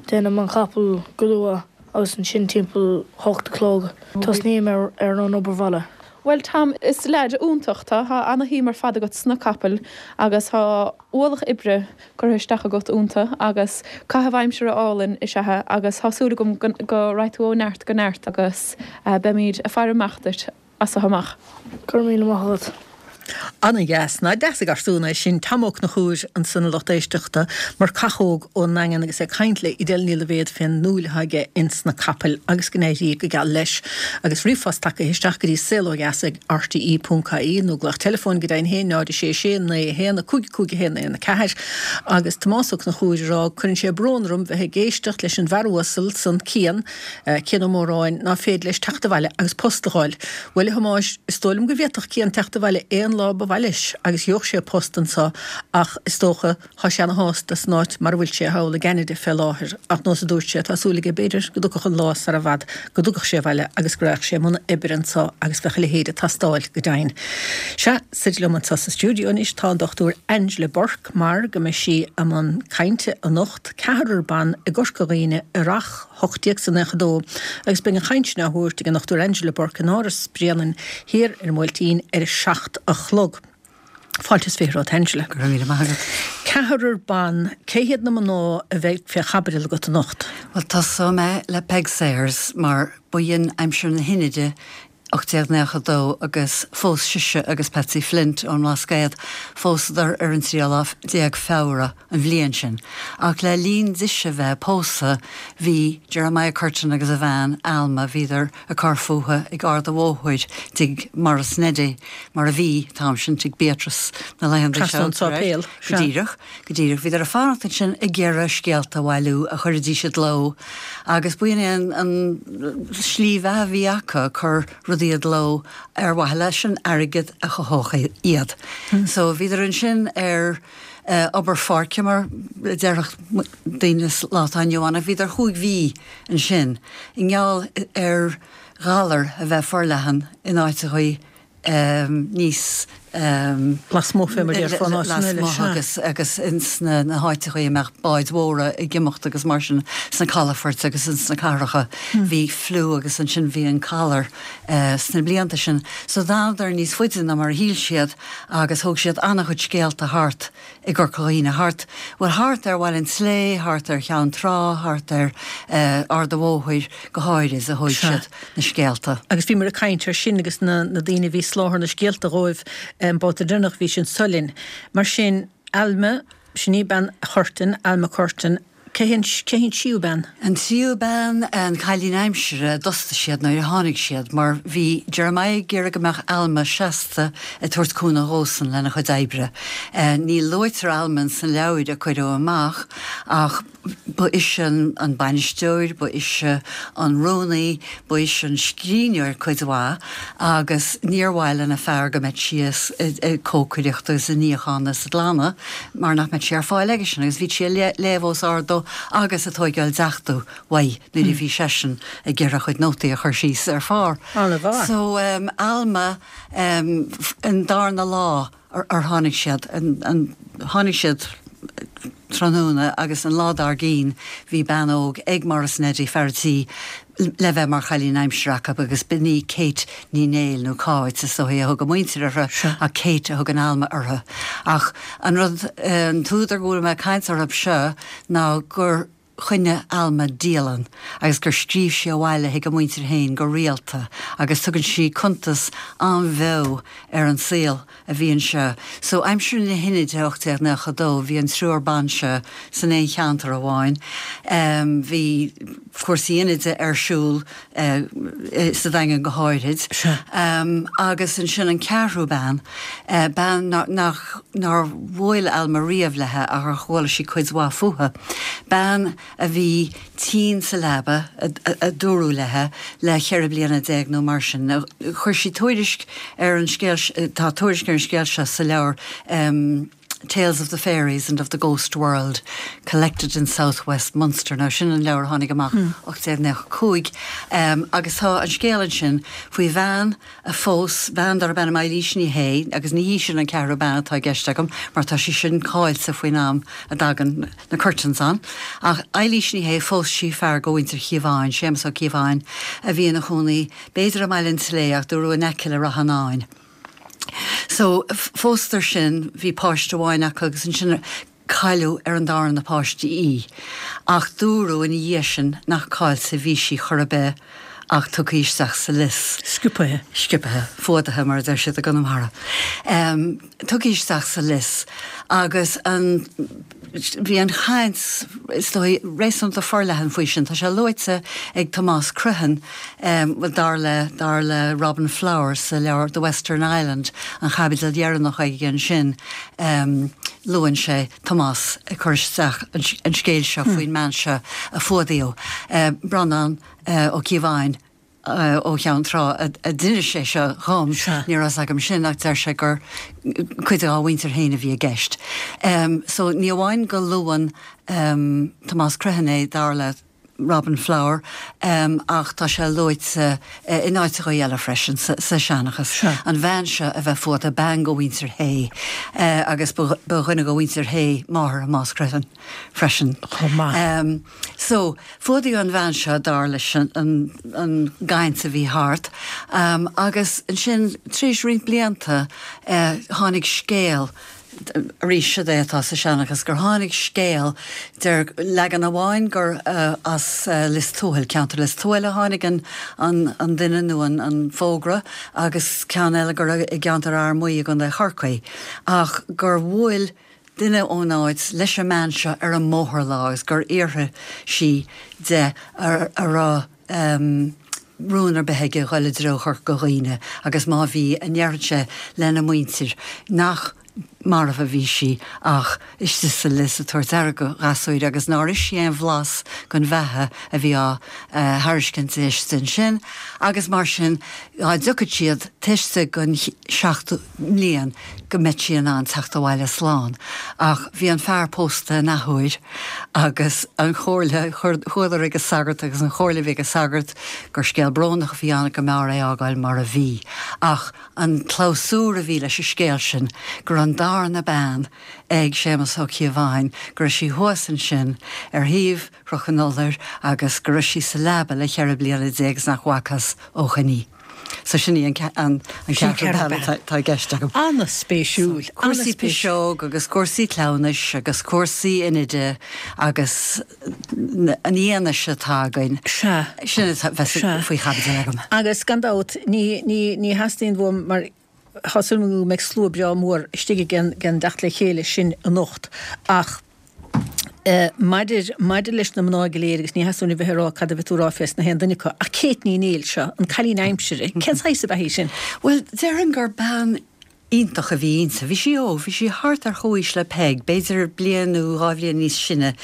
déanaim an capall go luath agus ansin timpeall hocht a chlog tosnaím ar ar an obair bhaile. Bhuel Tom, is leaid iontach tú, tá ana-shuim ar fad agat sna capaill agus tá ualach oibre curtha isteach agat iontu agus caitheamh aimsire álainn is ea é agus tá súil agam go raghaidh tú ó neart go neart agus beimid ag faire amach duit as seo amach. Go raibh míle maith agat. Ana-dheas. Nach deas an garsún é sin, Tom Ó Conchúir ansan a lucht éisteachta, marcach óg ón nDaingean agus é ag caint le Edel Ní Loibhéad fén ndúil atá aige ins na capaill agus go n-éirí go geal leis. Agus ríomhphost tagtha isteach go dtí saolódheas ag rte.ie nó glaoch teileafóin go deimhin féin 0 6 6 9 1 5 5 1 1 4 agus Tomás Ó Conchúir ag rá cuireann sé brón orm bheith ag éisteacht leis an bhfear uasal san Cian Cian Ó Móráin, ná féidir leis teacht abhaile agus post a dh'fháil. Bhuel, a Thomáis, is dóigh liom go bhféadfadh Cian teacht abhaile aon lá ba mhaith leis agus gheobhadh sé post anso ach is dócha, thá sé ana shásta san áit mar a bhfuil sé thall i gCeanada fé láthair ach nós a dúirt sé, tá súil aige b'fhéidir go dtiocfadh an lá sara bhfad go dtiocfadh sé abhaile agus go raghadh sé i mbun oibre anso agus bheadh a leithéid ag teastáil go deimhin. Sea, suite liom anso sa stiúideo anois tá an Dr Angela Bourke mar go mbeidh sí i mbun cainte anocht, ceathrar ban i gCorca Dhuibhne i Earrach 1892 agus beidh an chaint sin á thabhairt ag an Dr Angela Bourke in Áras Bhréanainn thiar ar an mBuailtín ar a 7 a chlog. Fáilte is 20 romhat Angela. Go raibh míle maith agat. Ceathrar ban, cé hiad na mná a bheidh fé chaibidil agat anocht? Bhuel, tosóidh mé le Peig Sayers mar ba shin aimsir na hInide 1892 agus phós sise agus Patsy Flint ón mBlascaod, phósadar ar an tríú lá déag Feabhra an bhliain sin. Ach le linn dise bheith ag pósadh bhí Jeremiah Curtin agus a bhean, Alma, bhíodar ag cur fúthu ag Ard a' Bhóthair, tigh Maurice Neddy, mar a bhí, an t-am sin, tigh Beatrice na laethanta seo. Trasna ón sáipéal, sea. Go díreach, go díreach. Bhíodar ag fanacht ansin ag iarraidh scéalta a bhailiú a chuirfidís i gcló agus b'in é an slí bheatha a bhí acu, cur rudaí i gcló ar mhaithe leis an airgead a chothódh iad. So bhíodar ansin ar obair pháirce mar a déarfadh daoine sa lá atá inniu ann ach bhíodar chúig mhí ansin i ngeall ar ghalar a bheith forleathan in áiteachaí níos. Lasmuigh fé mar a déarfá in áiteanna eile, Lasmuigh sea. agus agus ins na na háiteachaí a mbeadh báid mhóra ag imeacht agus mar sin sna calafoirt agus ins na cathracha bhí fliú agus ansin bhí an calar sna blianta sin. So d'fhanadar níos faide ná mar a shíl siad agus thóg siad an-chuid scéalta thart i gCorca Dhuibhne, thart, bhuel thart ar Bhaile an tSlé, thart ar Cheann Trá, thart ar Ard a' Bhóthair go háirid a thóig siad na scéalta. Agus bhíomar ag caint ar sin agus na daoine a bhí ag soláthar na scéalta dhóibh an babhta deireanach a bhí sinn anso linn. Mar sin, Alma, sin í bean Churtain, Alma Curtain, Cé hí an tríú bean? An tríú bean, an cailín aimsire a d'fhostaigh siad nuair a tháinig siad, mar bhí Jeremiah ag iarraidh go mbeadh Alma seasta ag tabhairt cúnamh dhósan lena chuid oibre. Ní luaitear Alma ins na leabhair a cuireadh amach ach ba ise an bainisteoir, ba ise an rúnaí, Ba ise an scríbhneoir cuid mhaith agus níor mhaith lena fear go mbeadh sí ag cócaireacht agus ag níochán is ag glanadh mar nach mbeadh sí ar fáil aigesean agus bhíodh sí ag léamh os ard dó agus ag tóigeáil deachtú uaidh nuair a bhí seisean ag iarraidh a chuid nótaí a chur síos ar phár. An-mhaith. So, Alma, an darna lá ar tháinig siad, tháinig siad tráthnóna agus an lá dár gcinn bhí bean óg ag Maurice Neddie, fear a' tí, le bheith mar chailín aimsire acu agus b'in í Kate Ní Néill nó Cáit is dóichí a thug a muintir uirthi ach Kate a thugann Alma uirthi. Ach an rud, an t-údar go bhfuil mé ag caint orthu seo ná gur choinnigh Alma dialann agus gur scríobh sí abhaile chuig a muintir féin go rialta agus tugann sí cuntas an-bheo ar an saol a bhí anseo. So aimsir na hInide 1892 bhí an triúr ban seo san aon cheantar amháin. Bhí cúrsaí Inide ar siúl sa Daingean go háirid. Agus ansin an ceathrú bean, bean nach, nár bhuail Alma riamh léi ach ar chuala sí cuid mhaith fúithi, bean a bhí tinn sa leaba, a dúradh léi, le cheithre bliana déag nó mar sin. Chuir sí tuairisc ar an scéal, tá tuairisc ar an scéal seo sa leabhar Tales of the Fairies and of the Ghost World, Collected in South West Munster. Now sin an leabhar a tháinig amach 1895 agus tá an scéal ansin faoi bhean a phós bean darb ainm Eilís Ní Shé, agus ní hí sin an ceathrú bean atá i gceist agam mar tá sí sin caillte faoin am a dtagann na Curtains ann. Ach Eilís Ní Shé, phós sí fear go mhuintir Chíobháin, Séamus Ó Cíobháin, a bhí ina chónaí b'fhéidir i mBaile an tSlé ach dúradh in aice le Rath an Áin. So, phósadar sin, bhí páiste amháin acu agus ansin cailleadh ar an darna páiste í. Ach dúradh ina dhiaidh sin nach caillte a bhí sí chor ar bith ach tugtha isteach sa lios. Sciobtha. Sciobtha, fuadaithe mar a deir siad i gConamara. Tugtha isteach sa lios agus an, bhí an chaint, is dóigh, réasúnta forleathan faoi sin. Tá sé luaite ag Tomás Criomhthain, bhuel, dar le, dar le Robin Flower sa leabhar The Western Island, an chaibidil dheireanach aige ansin, luann sé Tomás ag cur isteach an scéil seo faoin mbean seo a fuadaíodh, Breandán Ó Cíobháin. ó Cheann Trá a d'inis é seo dhom, ní raibh fhios agam sin ach deir sé gur cuid dá mhuintir féin a bhí i gceist. So ní amháin go luann Tomás Criomhthain é, dar le Robin Flower, ach tá sé luaite in áiteachaí eile freisin sa seanchas, an bhean seo a bheith fuadaithe, bean go mhuintir Shé agus ba dhuine go mhuintir Shé máthair Thomáis Criomhthain freisin. Chomh maith. So, fuadaíodh an bhean seo, dar leis an gcaint a bhí thart, agus ansin, tar éis roinnt blianta, tháinig scéal, arís, siod é atá sa seanchas, gur tháinig scéal, deir leagan amháin gur as Lios Tuathail, ceantar Lios Tuathail a tháinig an duine nó an fógra, agus ceann eile gur i gceantar Fhear Maí i gContae Chorcaí, ach gur bhuail duine ón áit leis an mbean seo ar an mbóthar lá agus gur fhiafraigh sí de a raibh rún ar bith aige dhul i dtreo Chorca Dhuibhne agus má bhí, an ndéarfadh sé lena muintir nach marbh a bhí sí ach istigh sa lios ag tabhairt aire do ghasúir agus nár ith sí aon bhlas den bheatha a bhí á thairiscint di istigh ansin agus mar sin dá dtiocfadh siad taobh istigh den seachtú mbliain go mbeadh sí in ann teacht abhaile slán. Ach bhí an fear pósta in athuair agus an chomhairle, chuadar ag an sagart agus an chomhairle a bhí ag an sagart gur scéal brónach a bhí ann go mb'fhearr é a fhágáil mar a bhí. Ach an clabhsúr a bhí leis an scéal sin go raibh an darna bean ag Séamus Ó Cíobháin, go raibh sí thuas ansin ar thaobh Chnoc an Fholair agus go raibh sí sa leaba le 14 bliana is nach bhfacthas ó shoin í. So sin í an ceathrú bean atá i gceist agam. An-spéisiúil. Cúrsaí piseog agus cúrsaí cleamhnais agus cúrsaí Inide agus an fhianaise atá againn. Sea. Sin atá bheas faoi chaibidil agam. Agus gan dabht, ní theastaíonn uaim mar tá súil agam go mbeidh slua breá mór istigh ag an dteacht le chéile sin anocht ach maidir, maidir leis na mná go léir, agus ní theastaíonn uaim a bheith ag rá cad a bheidh tú ag rá fés na haon duine acu, ach Kate Ní Néill seo, an cailín aimsire, cén saghas ab ea í sin? Bhuel, déarfainn gur bean iontach a bhí inti. Bhí sí óg, bhí sí thart ar chomhaois le Peig, b'fhéidir bliain nó dhá bhliain níos sine,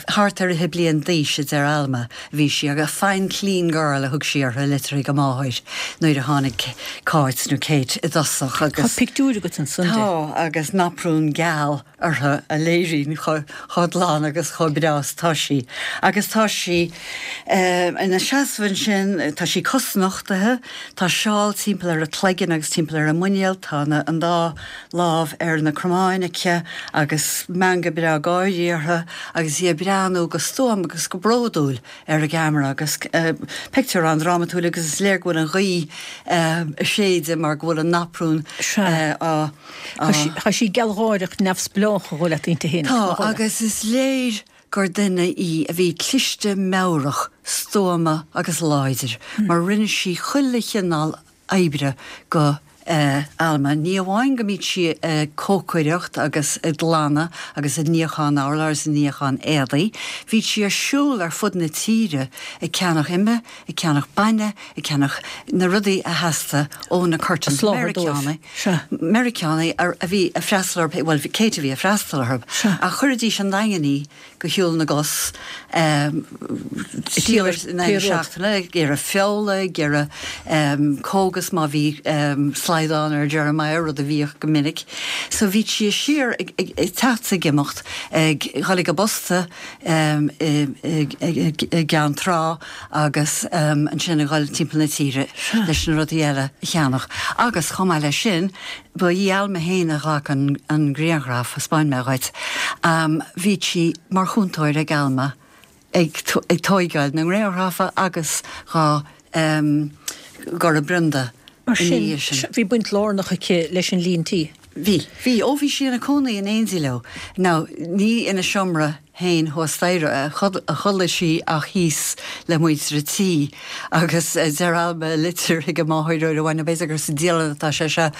thart ar fhiche bliain d'aois a deir Alma a bhí sí, agus a fine clean girl a thug sí uirthi i litir chuig a máthair nuair a tháinig Cáit nó Kate i dtosach agus. Tá pictiúr agat ansan di. Tá, agus naprún geal. uirthi a léiríonn chomh glan agus chomh breá is atá sí. Agus tá sí ina seasamh ansin, tá sí cosnochtaithe, tá seál timpeall ar a cloigeann agus timpeall ar a muinéal, tá an dá lámh ar na cromáin aici agus meangadh breá gáirí uirthi agus í ag breathnú go stuama agus go bródúil ar an gceamara agus pictiúr an-drámatúil agus is léir go bhfuil an ghaoth ag séideadh mar go bhfuil an naprún á Tá sí gealgháireach neamhspleách a dhul leat inti féin. Tá, agus is léir gur duine í a bhí cliste meabhrach, stuama agus láidir, mar rinne sí chuile chineál oibre go Alma. Ní amháin go mbíodh sí ag cócaireacht agus ag glanadh agus ag níochán urláir is ag níochán éadaí, bhíodh sí ar siúl ar fud na tíre ag ceannach ime, ag ceannach bainne, ag ceannach na rudaí a theastaigh ó na Curtins, Meiriceánaigh, Meiriceánaigh a bhí ag freastal orthu, bhuel Kate a bhí ag freastal orthu, ach chuiridís an Daingean í go shiúl na gcos trí uair in aghaidh na seachtaine, ag iarraidh feola, ag iarraidh cógas má bhí slaghdán ar Jeremiah, rud a bhíodh go minic. So bhíodh sí siar ag teacht is ag imeacht, ag dhul ag an bposta i gCeann Trá, agus ansin a dhul timpeall na tíre leis na rudaí eile a cheannach. Agus chomh maith leis sin, ba í Alma féin a ghlac an grianghraf, thaispeáin mé dhuit. Bhí sí mar chúntóir ag Alma ag tóigeáil na ngrianghraf agus dhá gcur i bprionda Mar sin, bhí baint lárnach aici leis an líon tí. Bhí. Bhí. Ó bhí sí ina cónaí in éindí leo. Now, ní ina seomra féin thuas staighre a chodlaigh sí ach thíos le muintir an tí. Agus deir Alma i litir chuig a máthair uair amháin, nó b'fhéidir gur sa dialann atá sé seo,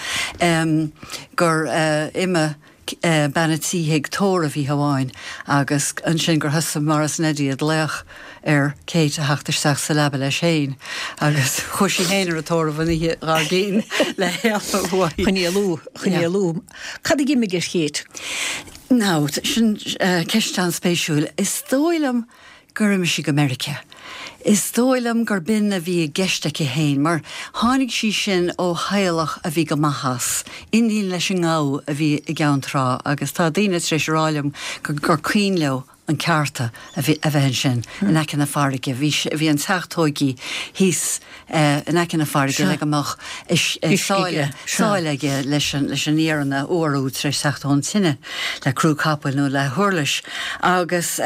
gur imigh bean a' tí chuig tórramh oíche amháin agus ansin gur thosaigh Maurice Neddie ag glaoch ar Kate a theacht isteach sa leaba leis féin agus chuaigh sí féin ar an tórramh an oíche dhár gcionn le héalú uaithi. Chun éalú, chun éalú. Cad a d'imigh ar Kate? Now, sin ceist an-spéisiúil. Is dóigh liom gur imigh sí go Meiriceá. Is dóigh liom gur b'in a bhí i gceist aici féin, mar tháinig sí sin ó theaghlach a bhí go maith as, iníon leis an ngabha a bhí i gCeann Trá agus tá daoine tar éis a rá liom gur cuimhin leo an ceárta a bhí a bheith ansin in aice na farraige. Bhí bhí an teach tóigí thíos in aice na farraige le go mbeadh sáile sáile aige leis an leis an iarann a fhuarú tar éis teacht ón tine le crú capaill nó le huirlis agus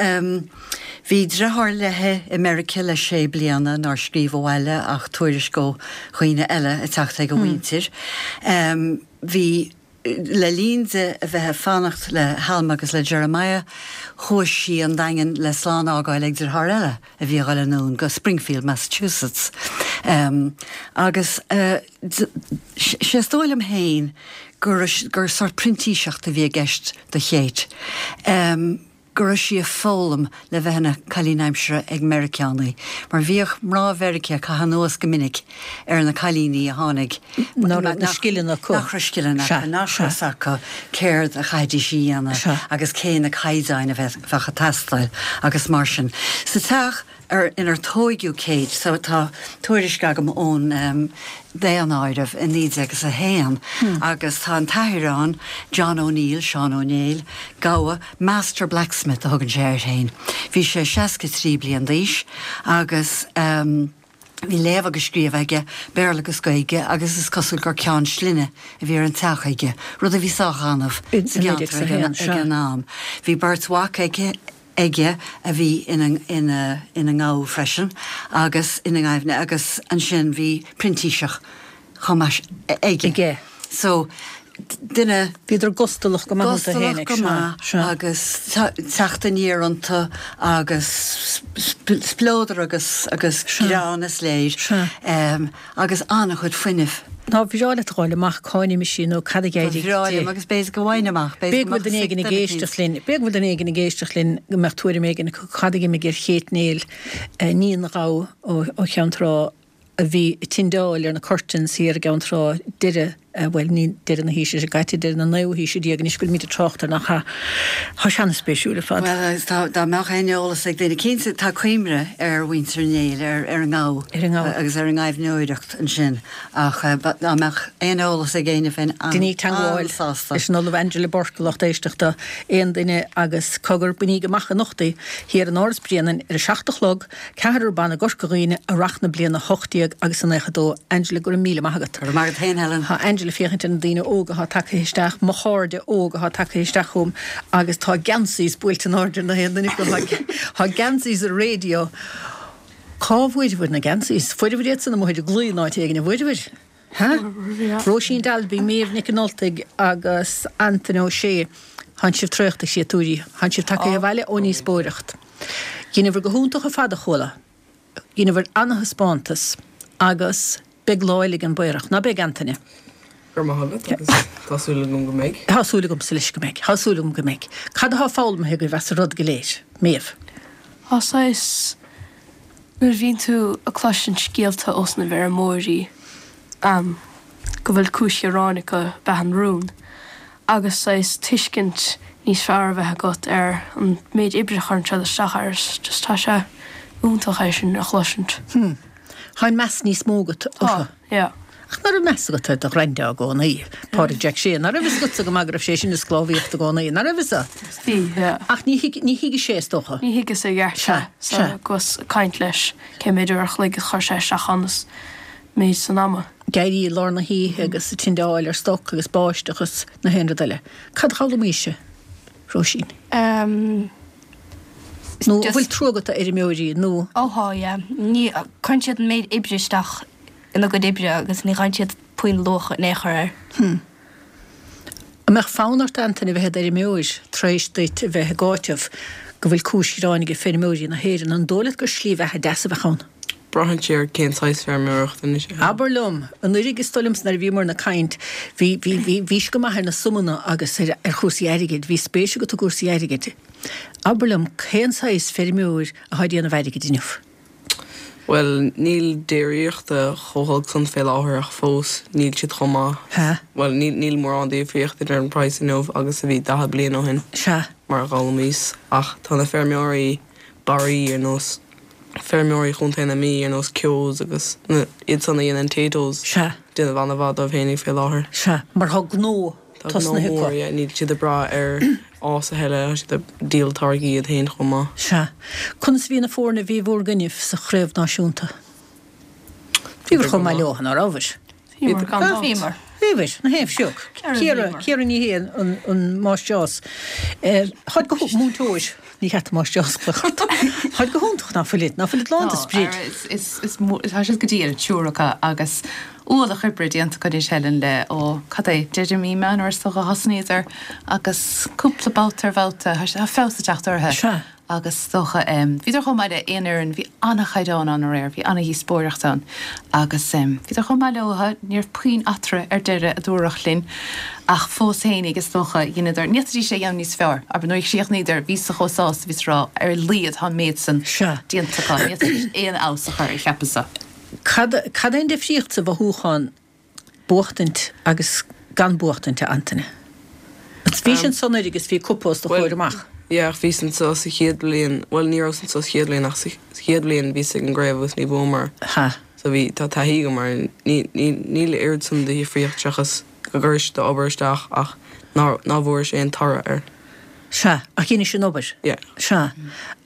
bhí driotháir léi i Meiriceá le sé bliana nár scríobh abhaile ach tuairisc ó dhaoine eile ag teacht ag a mhuintir. Bhí Le linn di a bheith ag fanacht le hAlma agus le Jeremiah, chuaigh sí an Daingean le slán a fhágáil ag driotháir eile a bhí a dhul anonn go Springfield, Massachusetts. Agus sé is dóigh liom féin gur gur sort printíseacht a bhí i gceist do Kate. go raibh sí ag foghlaim le bheith ina cailín aimsire ag Meiriceánaigh, mar bhíodh mná Mheiriceá ag caitheamh anuas go minic ar na cailíní a tháinig nach raibh na scileanna acu. Nach raibh scileanna acu, nach raibh fhios acu céard a chaithfidís a dhéanamh agus cé na caighdeáin a bheadh ag teastáil agus mar sin. Sa teach. ar inar tóigeadh Kate so tá tuairisc agam ón daonáireamh i 1901 agus tá an t-athair ann, John O'Neill, Seán Ó Néill, gabha, Master Blacksmith a thugann sé air féin. Bhí sé 63 bliain d'aois agus bhí léamh agus scríobh aige, Béarla agus Gaeilge, agus is cosúil gur ceann slinne a bhí ar an teach aige, rud a bhí sách annamh sa gceantar ag an am. Bhí beirt mhac aige aige a bhí ina ina ina ngabha freisin agus ina ngaibhne agus ansin bhí printíseach chomh maith aige. aige. So, duine. Bhíodar gustalach go maith iontu féinig. Gustalach go maith agus teacht aniar iontu agus spleodar agus agus greann is léir agus an-chuid fuinnimh. Nár bhreá leat a ghabháil amach cá n-imigh sí nó cad a d'éirigh di? Ba bhreá liom agus b'fhéidir go bhfaighinn amach, b'fhéidir go mbeadh duine éigin ag éisteacht linn, b'fhéidir go bhfuil duine éigin ag éisteacht linn go mbeadh tuairim éigin acu cad a d'imigh ar Kate Néill, níon ghabha ó Cheann Trá a bhí ag tindeáil ar na curtains thiar i gCeann Trá deireadh, bhuel, ní deireadh na haoise seo caite, deireadh na naoú haoise déag anois go bhfuilimid ag trácht air, nach ea? Tá sé an-spéisiúil ar fad. Bhuel, agus tá, dá mbeadh aon eolas ag duine, cinnte tá cuimhne ar mhuintir Néill, ar, ar an ngabha. Ar an ngabha. Agus ar an ngaibhneoireacht ansin, ach dá mbeadh aon eolas ag éinne bheinn Deiníg teagmháil an-sásta. leis an Ollamh Angela Bourke, a lucht éisteachta, aon duine agus cogar, bainíg amach anocht í, thiar in Áras Bhréanainn ar a 7 a chlog, Ceathrar ban i gCorca Dhuibhne, Earrach na bliana 18 agus a 92. Angela, go raibh míle maith agat. Go raibh maith agat féin, Helen. Tá Angela ag féachaint ar na daoine óga atá tagtha isteach, mo chairde óga atá tagtha isteach chugam agus tá geansaís buailte in airde ar na haon duine acu. Tá geansaís ar raidió. Cá bhfuaireabhair na geansaís? Fuaireabhair iad san amuigh ar an gclaí in áit éigin, an bhfuaireabhair? Ha? Róisín Dalby, Méabh Nic an Ultaigh agus Antaine Ó Sé, Thánn sibh traochta, a chréatúirí. Thánn sibh tagtha abhaile ón ndíospóireacht. Dheineabhair go hiontach ar fad, a chuala. Dheineabhair ana-thaispeántas agus beidh lá eile ag an bPaorach, ná beidh, Antaine? Go raibh maith agat agus tá súil agam go mbeidh. Tá súil agamsa leis go mbeidh. Tá súil agam go mbeidh. Cad atá foghlamtha agaibh as an rud go léir? Méabh. Tá saghas. Nuair a bhíonn tú ag cloisint scéalta ós na bhfeirmeoirí go bhfuil cúis ghearáin acu ab ea an rún agus saghas tuiscint níos fearr a bheith agat ar an méid oibre a chuireann siad isteach air is just tá sé iontach é sin a chloisint. Hm. Tá an meas níos mó agat orthu. Tá, yeah. Ach ná raibh meas agat ar do ghraindea i gcónaí, Pádraig Jack Shea? Ná raibh fhios agatsa go maith go raibh sé sin ag sclábhaíocht i gcónaí? Ná raibh fhios agat? Bhí, yeah. Ach ní thuig, ní thuigeadh sé, is dócha. Ní thuigeadh sé i gceart Sea, é. So, sea. agus ag caint leis cé méid uair a chloig a chuir sé isteach ann is méid san ama. Ag éirí i lár na hoíche agus ag tindeáil ar stoc agus báisteach is na haon rud eile. Cad a d'fhoghlaimaís-se, Róisín? Ehm. Nó an bhfuil trua agat do fheirmeoirí nó? Ó thá, yeah. Ní, cuireann siad an méid oibre isteach ina gcuid oibre agus ní fhaigheann siad puinn luach in aon chor air. Hm. An mbeadh fonn ort, Antaine, a bheith i d'fheirmeoir tar éis duit a bheith ag áiteamh go bhfuil cúis ghráin ag feirmeoirí na hÉireann? An dóigh leat gur slí bheatha deas a bheadh ann? Braitheann sé ar cén saghas feirmeoireachta anois. Abair liom, anuraidh is dóigh liomsa nuair a bhíomar ag caint, bhí, bhí, bhí, bhís go maith ar na suimeanna agus ar, ar chúrsaí airgid, bhí spéis agat i gcúrsaí airgid. Abair liom, cén saghas feirmeoir atá ag déanamh airgid inniu? Bhuel, níl déiríochta chomh holc san fé láthair ach fós níl siad chomh maith. Sea. Bhuel, níl, níl mórán difríocht idir an praghas inniu agus a bhí 40 bliain ó shin. Sea. Mar a d'fhoghlaimíos. Ach tá na feirmeoirí barraí ar nós feirmeoirí Chontae na Mí, ar nós Keoghs agus na, iad san a dhéanann Taytos. Sea. Déanamh an-mhaith dóibh fhéinig fé láthair. Sea, mar tá gnó Tá gnó tosnaithe mór, acu. yeah, níl siad ag brath ar fhás a thuilleadh, tá siad ag díol táirgí iad féin chomh maith. Sea. Conas a bhí na foirne a bhí bhúr gcoinnibh sa chraobh náisiúnta? Bhíobhair chomh maith leo, ná rabhabhair? Bhíomar, gan dabht. Bhíomar. Bhíobhair, na haon sioc. Ciara, Ciara Ní hAodha, an, an máistreás. Táid go, múinteoir, ní cheart an máistreás a ghlaoch ort. Táid go hiontach, ná fuilid, ná fuilid lán de Tá, sprid. is, is, is, tá siad go diail, triúr acu, agus Ualach oibre déanta acu anois Helen le, ó, cad é, deireadh mí Meán is dócha a thosnaíodar agus cúpla babhta ar bhabhta, tá sé, tá feabhas ag teacht orthu. Sea. Agus is dócha, bhíodar chomh maith le aon fhoireann, bhí an-chaighdeán ann aréir, bhí an-dhíospóireacht ann agus bhíodar chomh maith leo, ní raibh puinn eatarthu ar deireadh a dúradh linn ach fós fhéinig is dócha, dheineadar, ní fhéadfaidís é a dhéanamh níos fearr, abair nuair a chríochnaíodar, bhíos-sa chomh sásta, bhíos ag rá, ar a laghad tá an méid san Sea. déanta acu, ní fhéadfaidís aon fheabhas a chur air, cheapas-sa. Cad, cad é an difríocht sa mhothúchán buachtaint agus gan buachtaint, a Antaine? Bhís anso anuraidh agus bhí cupa os do chomhair amach. Yeah, ach bhíos anso sa chéad bhliain, bhuel ní rabhas anso sa chéad bhliain ach sa chéad bhliain bhíos ag an gcraobh agus ní bhuamar. Ha. So bhí, tá taithí agam air, ní, ní, níl oiread san de dhifríocht seachas go gcuiris d'obair isteach ach ná, ná bhfuairis aon toradh air. Sea, ach dheinis an obair. Yeah. Sea.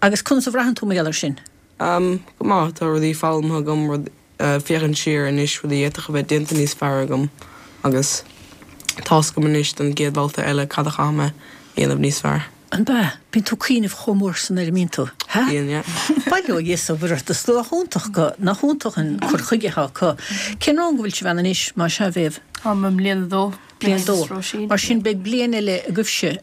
Agus conas a bhraitheann tú mar gheall air sin? Umm, go maith, tá rudaí foghlamtha agam, rud, féachaint siar anois, rudaí a d'fhéadfadh a bheith déanta níos fearr agam agus tá's agam anois don gcéad bhabhta eile cad a chaithfidh mé a dhéanamh níos fearr. An b'ea? Bíonn tú ag cuimhneamh chomh mór san air, an mbíonn tú? Hea? Bíonn, yeah. Bail ó Dhia is ó Mhuire ort, is nach iontach go, nach iontach an cur chuige atá acu. Cén rang a bhfuil sibh ann anois, más ea, a Mhéabh? Táim i mbliain a dó. Bliain a dó. Mar sin beidh bliain eile agaibhse.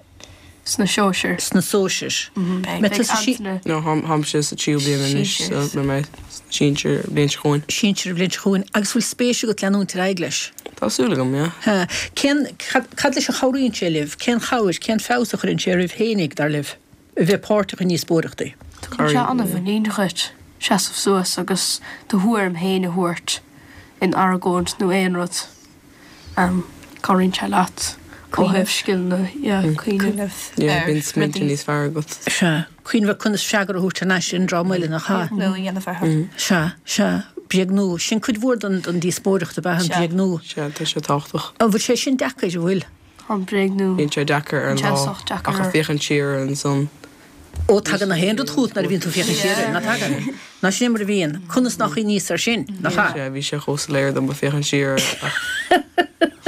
Sna sóisir. Sna sóisir. Beidh Antaine. No, táimse sa tríú bliain anois so beidh mé sna sinsir an bhliain seo chugainn. Sinsir an bhliain seo chugainn. Agus bhfuil spéis agat leanúint ar aghaidh leis? Tá súil agam, yeah. Ha. Cén, cad, cad leis a chabhraíonn sé libh? Cén chabhair, cén feabhas a chuireann sé oraibh fhéinig, dar libh, a bheith páirteach i ndíospóireachtaí? Tugann sé an-mhuinín dhuit seasamh suas agus do thuairim féin a thabhairt in argóint nó aon rud. Cabhraíonn sé leat ó thaobh scileanna, yeah, cuimhneamh Yeah, bíonn smaointe níos fearr agat. Sea, cuimhneamh ar conas freagra a thabhairt thar n-ais ar an dream eile, nach ea? Bréagnú a dhéanamh orthu. Sea, sea, bréagnú. Sin cuid mhór den díospóireacht, ab ea, an bréagnú? Sea, tá sé tábhachtach. An bhfuil sé sin deacair, an bhfuil? An bréagnú. Bíonn sé deacair ar an lá, ach ag féachaint siar air ansan. Ó, tagann na haon rud chugat nuair a bhíonn tú ag féachaint siar air, nach dtagann? Ná sin é mar a bhíonn. Conas nár chuimhníos air sin, nach ea? Sea, bhí sé chomh soiléir dom ag féachaint siar air ach.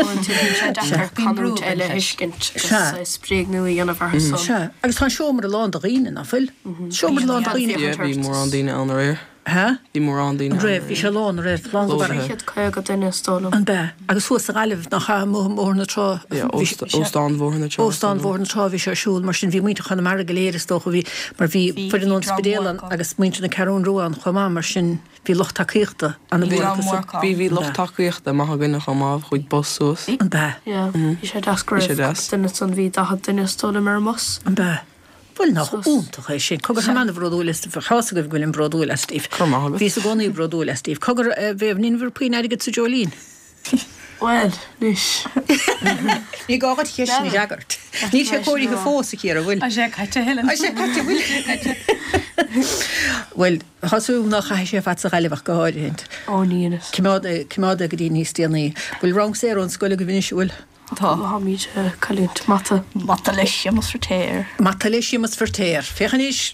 Uaireanta bíonn sé deacair canúint eile a thuiscint agus saghas bréagnú a dhéanamh orthu san. Sea, agus tá an seomra lán de dhaoine, ná fuil? Seomra lán de dhaoine. Yeah, bhí mórán daoine ann aréir. Hea? Bhí mórán daoine ann. An raibh? Bhí sé lán, an raibh? Lán go barra. 350 duine is dóigh liom. An b'ea? Agus thuas sa Ghaillimh, nach ea, amuigh i mBóthar na Trá? Yeah, Óstán Bhóthar na Trá. Óstán Bhóthar na Trá a bhí sé ar siúl, mar sin bhí muintir Chonamara go léir is dócha, bhí, mar bhí foireann ón Spidéal ann agus muintir na Ceathrún Rua ann chomh maith, mar sin bhí lucht tacaíochta an-mhór acu. Bhí, bhí lucht tacaíochta maith againne chomh maith, chuaigh bus suas. An b'ea? Yeah, bhí sé deas go raibh duine ansan, bhí 40 duine is dóigh liom ar an mbus. An b'ea? Bhuel, nach iontach é sin. Cogar, táim an-bhródúil astaibh. Tá fhios agaibh go bhfuilim bródúil astaibh. Go raibh maith agat. Bhíos i gcónaí bródúil astaibh. Cogar, a Mhéabh, ní bhfuair puinn airgid sa dreoilín? Bhuel, anois. Ní gá dhuit an cheist sin a fhreagairt. Níl sé cóirithe fós, a Chiara, bhfuil? Tá sé caite, a Helen. Tá sé caite, bhfuil? Bhuel, tá súil agam nár chaith sé fad sa Ghaillimh ach go háirithe. Ó, ní fhios. Coimeád é, coimeád é go dtí níos déanaí. Bhfuil rang saor ón scoil agaibh anois, an bhfuil? Tá. Táimid ag cailliúint mata. Mata le Séamus Feirtéar. Mata le Séamus Feirtéar. Féach anois!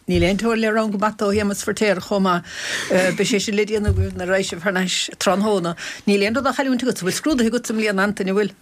Níl aon teorainn le rang mata ó Shéamus Feirtéar chomh maith. Beidh sé sin le déanamh agaibh nuair a raghaidh sibh thar n-ais tráthnóna. Níl aon rud á chailliúint agat. Bhfuil scrúduithe agat i mbliana, Antaine, an bhfuil?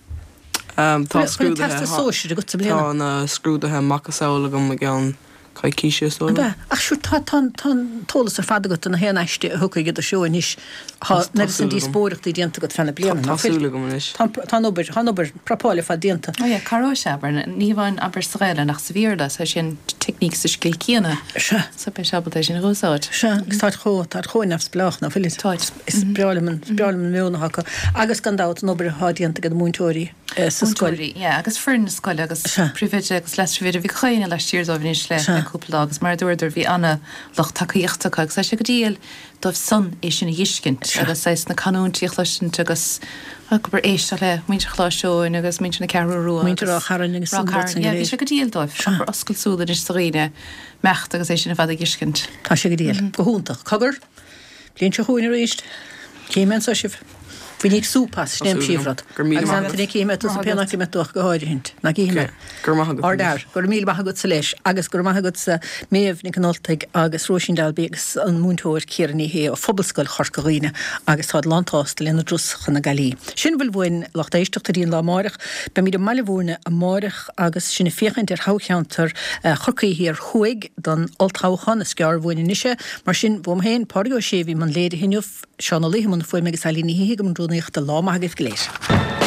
Tá Bhfuil an scrúduithe. Teastas Sóisir agat i mbliana? Tá na scrúduithe macasamhail agam i gceann coicíse is dóigh Ab liom. ea? Ach sure, tá, tá, tá an t-eolas ar fad agat do na haon aiste a thiocfaidh i do threo anois. Tá an oiread san díospóireachtaí déanta agat feadh na bliana, Tá nach bhfuil? súil agam anois. Tá, tá an obair, tá an obair prapáil ar fad déanta. Oh yeah, cabhróidh sé, abair, ní hamháin abair sa Ghaelainn ach sa Bhéarla, so sin teicníc sa scil céanna. Sea. So beidh sé ábalta é sin a úsáid. Sea, agus táid chomh, táid chomh neamhspleách, nach bhfuilid? Táid. Is breá liom an, is breá liom an meon atá acu. Agus gan dabht an obair atá déanta ag na múinteoirí. sa scoil. Múinteoirí, yeah, agus foireann na scoile agus príomhoide agus leas-phríomhoide, bhí gach éinne laistiar dóibh anois le le cúpla lá agus mar a dúradar bhí ana lucht tacaíochta acu agus tá sé go diail dóibh san é sin a dh'fheiscint agus saghas na canúintí a chloisint agus abair éisteacht le muintir Choláiste Eoin agus muintir na Ceathrú Rua Muintir Ráth Chairn agus Ráth Chairn, yeah, bhí sé go diail dóibh abair oscailt súl anois do dhaoine imeacht agus é sin ar fad a dh'fheiscint. Tá sé go diail. Go hiontach. Cogar, Bliain seo chugainn arís. Cífidh mé anso sibh. Bainigí súp as, sin é an príomhrud. Agus Antaine, cífidh mé tusa pé nach mbeidh tú ach go háirithint. Ná cífidh mé. Go raibh maith agat. Ardfhear. Go raibh míle maith agatsa leis. Agus go raibh maith agatsa Méabh Nic an Ultaigh agus Róisín Dalby agus an múinteoir Ciara Ní Shé ó Phobalscoil Chorca Dhuibhne agus táid lánsásta lena dturas chun na Gaillimhe. Sin a bhfuil uainn lucht éisteachta go dtí an lá amáireach. Beimid i mBaile Mhúirne amáireach agus sinn ag féachaint ar thoghcheantar Chorcaí Thiar Thuaidh don olltoghchán. Is gearr uainn anois é. Mar sin, uaim féin, Pádraig Ó Sé a bhí i mbun léirithe inniu, Seán Ó Laoithe i mbun fuaime agus Eilín Ní hÍthigh i mbun rúnaíochta. Lá maith agaibh go léir.